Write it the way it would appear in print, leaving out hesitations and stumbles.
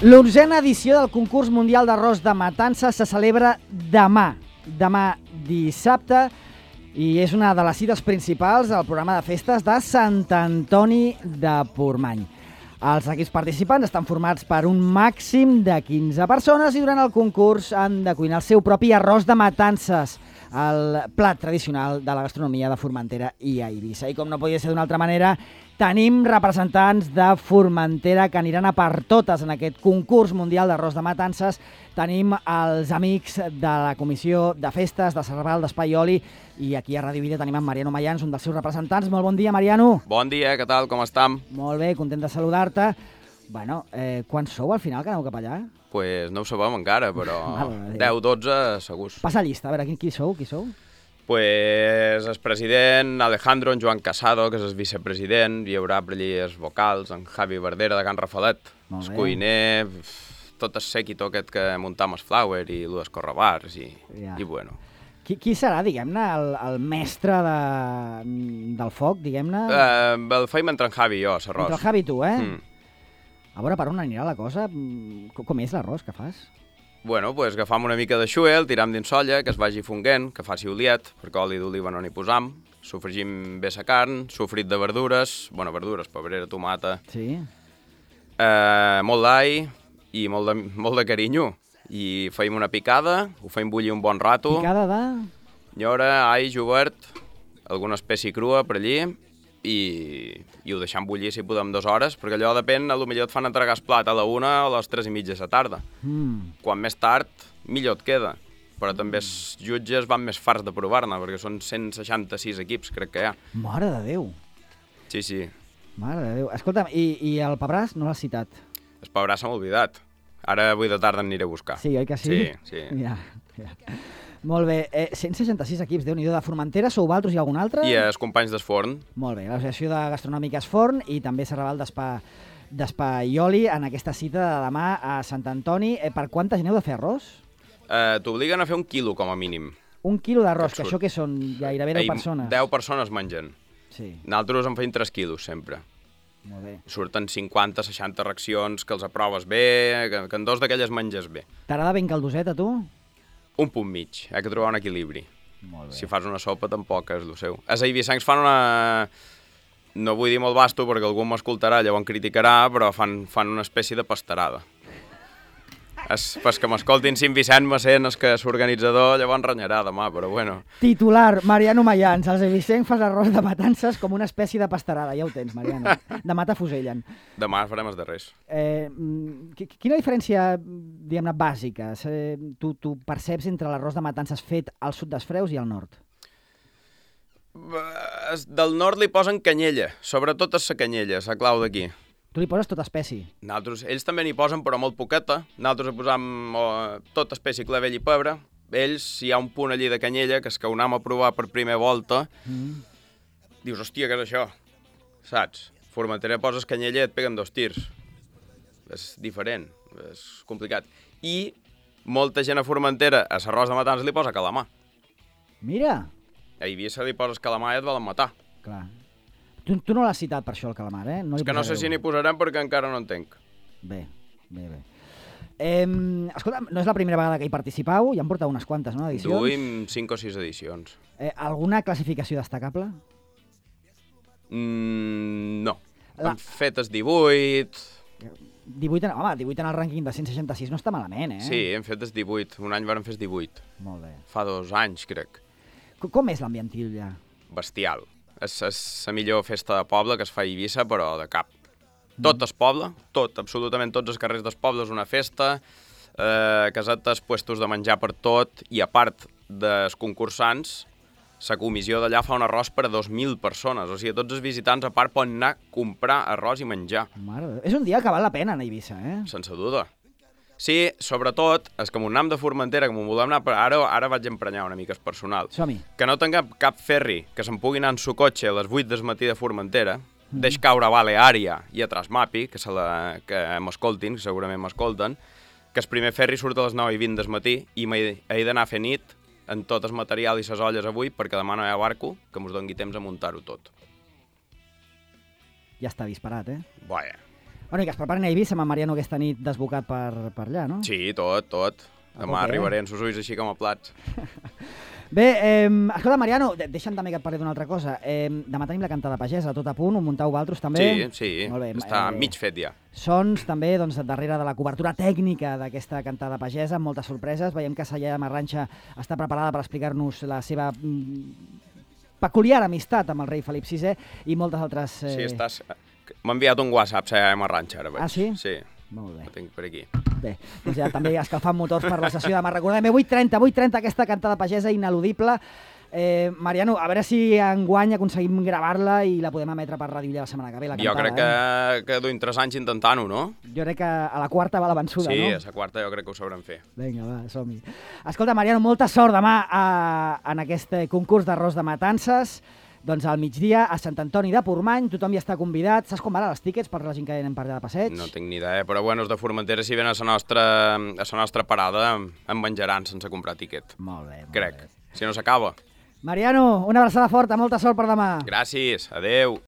L'onzena edició del concurs mundial d'arròs de Matances se celebra demà dissabte, i és una de les cites principals del programa de festes de Sant Antoni de Portmany. Els equips participants estan formats per un màxim de 15 persones i durant el concurs han de cuinar el seu propi arròs de matances, el plat tradicional de la gastronomia de Formentera i Eivissa. I com no podia ser d'una altra manera, tenim representants de Formentera que aniran a per totes en aquest concurs mundial d'arròs de matances. Tenim els amics de la comissió de festes de Serral d'Espai Oli, i aquí a Ràdio Vida tenim en Mariano Mayans, un dels seus representants. Molt bon dia, Mariano. Bon dia, què tal, com estem? Molt bé, content de saludar-te. Bueno, quan sou al final que aneu cap allà? Pues no ho sabem encara, però 10-12 segurs. Passa llista, a veure, qui sou? Pues el president Alejandro, en Joan Casado, que és el vicepresident, hi haurà per allí els vocals, en Javi Verdera de Can Rafalet, el cuiner, tot el séquito aquest que muntam el Flower i l'Escorrebars i bueno. Qui serà, diguem-ne, el mestre del foc, diguem-ne? El feim entre en Javi i jo, l'arròs. Entre el Javi i tu, A veure, per on anirà la cosa? Com és l'arròs que fas? Bueno, pues agafam una mica de xuel, el tiram dins olla, que es vagi fonguent, que faci oliet, perquè oli d'oliva no n'hi posam, sofregim bé la carn, sofrit de verdures, pebrera, tomata, molt d'all i molt de carinyo. I feim una picada, ho feim bullir un bon rato. Picada de? Nyora, all, jovert, alguna espècie crua per allí, i ho deixam bullir, si podem, 2 hores, perquè allò depèn, potser et fan entregar el plat a la 1 o a les 3:30 de la tarda. Quan més tard, millor et queda. Però també els jutges van més farts de provar-ne, perquè són 166 equips, crec que hi ha. Mare de Déu! Sí. Mare de Déu. Escolta'm, i el pebràs no l'has citat? El pebràs se m'ha oblidat. Ara avui de tarda aniré a buscar. Sí, oi que sí? Sí. Ja. Molt bé. 166 equips, Déu-n'hi-do, de Formentera. Sou vosaltres i algun altre? I els companys d'Esforn. Molt bé. L'Associació de Gastronòmica Esforn i també Serral d'Espai Oli en aquesta cita de demà a Sant Antoni. Per quanta gent heu de fer arròs? T'obliguen a fer 1 quilo, com a mínim. 1 quilo d'arròs, que això que són gairebé 10 persones. 10 persones mengen. Sí. Nosaltres en feim 3 quilos, sempre. Molt bé. Surten 50-60 racions, que els aproves bé, que en 2 d'aquelles menges bé. T'agrada ben caldoset, a tu? Un punt mig, hi ha que trobar un equilibri. Molt bé. Si fas una sopa, tampoc és el seu. Els eivissencs fan una... No vull dir molt vasto, perquè algú m'escoltarà, llavors criticarà, però fan una espècie de pastarada. Pas que m'escoltin si en Vicent Massent és que és organitzador, llavors renyarà demà, però bueno. Titular, Mariano Mayans. Els eivissencs fas arròs de matances com una espècie de pastarada. Ja ho tens, Mariano. Demà t'afusellen. Demà farem els darrers. Quina diferència, diguem-ne, bàsica tu perceps entre l'arròs de matances fet al sud dels Freus i al nord? Del nord li posen canyella, sobretot és la canyella, la clau d'aquí. Tu li poses tota espècie. Ells també n'hi posen, però molt poqueta. Nosaltres hi posam tota espècie, clavell i pebre. Ells, si hi ha un punt allí de canyella, que és que ho anem a provar per primera volta, dius, hòstia, què és això? Saps? Formentera poses canyella i et peguen 2 tirs. És diferent, és complicat. I molta gent a Formentera, a l'arròs de matances li posa calamar. Mira! A Eivissa li poses calamar i et volen matar. Clar. Tu no l'has citat per això, el calamar, eh? És que no sé si n'hi posarem perquè encara no entenc. Bé. Escolta, no és la primera vegada que hi participau, ja en porteu unes quantes, no, edicions? Duim 5 o 6 edicions. Alguna classificació destacable? No. Hem fet els 18... 18 en el rànquing de 166 no està malament, eh? Sí, hem fet els 18. Un any vàrem fer els 18. Molt bé. Fa 2 anys, crec. Com és l'ambientil allà? Bestial. És la millor festa de poble que es fa a Eivissa, però de cap. Tot el poble, absolutament tots els carrers del poble és una festa, casetes, puestos de menjar per tot, i a part dels concursants, la comissió d'allà fa un arròs per a 2.000 persones. O sigui, tots els visitants a part poden anar a comprar arròs i menjar. Mare de Déu. És un dia que val la pena anar a Eivissa, eh? Sense duda. Sí, sobretot, és que m'ho anam de Formentera, que m'ho volem anar, ara vaig emprenyar una mica el personal. Som-hi. Que no tinguem cap ferri que se'n pugui anar en su cotxe a les 8 del matí de Formentera, Deix caure a Baleària i a Trasmapi, que m'escoltin, que segurament m'escolten, que el primer ferri surt a les 9:20 del matí i he d'anar a fer nit en tot el material i les olles avui perquè demà no hi ha barco que mos doni temps a muntar-ho tot. Ja està disparat, eh? Vaja. Bueno, i que es preparin a Eivissa amb en Mariano aquesta nit desbocat per allà, no? Sí, tot. Demà arribaré amb els ulls així com a plats. Bé, escolta, Mariano, deixa'm també que et parli d'una altra cosa. Demà tenim la cantada pagesa, tot a punt, ho muntau vosaltres també? Sí, Molt bé, està mig fet ja. Sons també darrere de la cobertura tècnica d'aquesta cantada pagesa, amb moltes sorpreses. Veiem que Salla Marranxa està preparada per explicar-nos la seva peculiar amistat amb el rei Felip VI i moltes altres... Sí, m'ha enviat un WhatsApp, Salla Marranxa, ara veig. Ah, sí? Sí. Molt bé. Ho tinc per aquí. Bé, doncs ja també escalfant motors per la sessió de demà. Recordem, 8:30 aquesta cantada pagesa ineludible. Mariano, a veure si enguany aconseguim gravar-la i la podem emetre per Ràdio Illa la setmana que ve, la cantada. Jo crec que duim 3 anys intentant-ho, no? Jo crec que a la quarta va la vençuda, sí, no? Sí, a la quarta jo crec que ho sabrem fer. Vinga, va, som-hi. Escolta, Mariano, molta sort demà en aquest concurs d'arròs de matances. Doncs al migdia, a Sant Antoni de Portmany, tothom hi està convidat. Saps com van els tíquets per la gent que anem per allà de passeig? No tinc ni idea, però bueno, els de Formentera, si venen a la nostra parada, em menjaran sense comprar tíquet. Molt bé. Crec, si no s'acaba. Mariano, una abraçada forta, molta sort per demà. Gràcies, adeu.